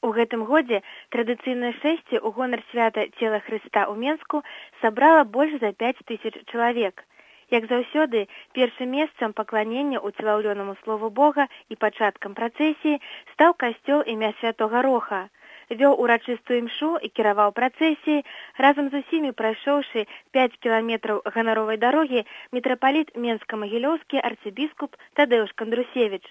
У гэтым годзе традыцыйнае шэсце ў гонар свята цела Хрыста ў Менску сабрала больш за 5000 чалавек. Як заўсёды, першым месцам пакланення ўцелаўлёнаму слову Бога і пачаткам працэсіі стаў касцёл імя Святога Роха. Вёў урачыстую імшу і кіраваў працэсіяй, разам з усімі прайшоўшы 5 кіламетраў ганаровай дарогі мітрапаліт Менска-Магілёўскі арцыбіскуп Тадэўш Кандрусевіч.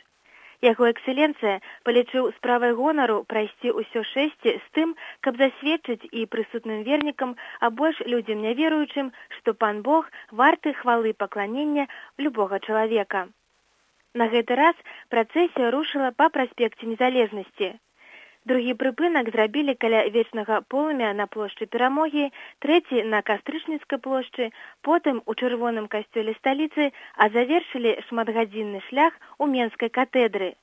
Яго экселенцыя палічыў справай гонару прайсці ўсё шэсце з тым, каб засведчыць і прысутным вернікам, а больш людзям няверуючым, што пан Бог варты хвалы пакланення любога чалавека. На гэты раз працэсія рушыла па праспекце Незалежнасці. Другі прыпынак зрабілі каля вечнага полымя на плошчы Перамогі, трэці на Кастрычніцкай плошчы, потым у чырвоным касцёле сталіцы, а завершылі шматгадзінны шлях у Менскай катэдры.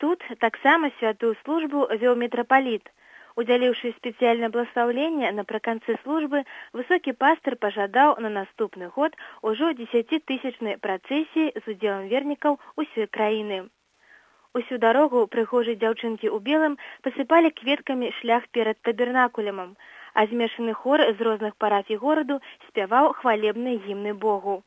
Тут таксама святую службу вёў мітрапаліт. Удзяліўшы спецыяльнае бласлаўленне напрыканцы службы, высокі пастыр пажадаў на наступны год ужо 10-тысячнай працэсіі з удзелам вернікаў усёй краіны. Усю дарогу прыгожыя дзяўчынкі ў белым пасыпалі кветкамі шлях перад табернакулемам, а змешаны хор з розных парафій гораду спяваў хвалебныя гімны Богу.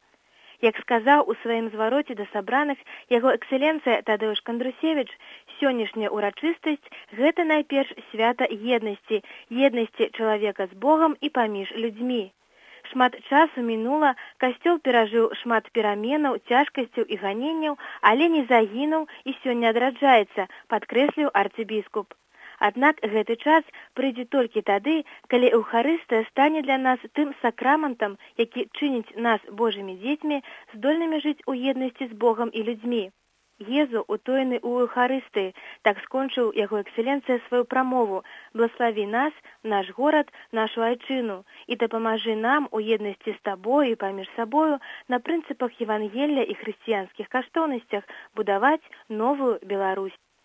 Як сказаў у сваім звароце да сабраных яго экселенцыя Тадэўш Кандрусевіч, сённяшняя ўрачыстасць – гэта найперш свята еднасці, еднасці чалавека з Богам і паміж людзьмі. Шмат часу мінула, касцёл перажыў шмат пераменаў, цяжкасцяў і ганенняў, але не загінуў і сёння адраджаецца, падкрэсліў арцыбіскуп. Аднак гэты час прыйдзе толькі тады, калі Эўхарыстыя стане для нас тым сакраментам, які чыніць нас Божымі дзецьмі, здольнымі жыць у еднасці з Богам і людзьмі. Езу, утоены ў Эўхарыстыі, так скончыў яго экселенцыя сваю прамову: «Благослови нас, наш горад, нашу айчыну, і дапамажы нам у еднасці з табою і паміж сабою на прынцыпах Евангелля і хрысціянскіх каштоўнасцях будаваць новую Беларусь».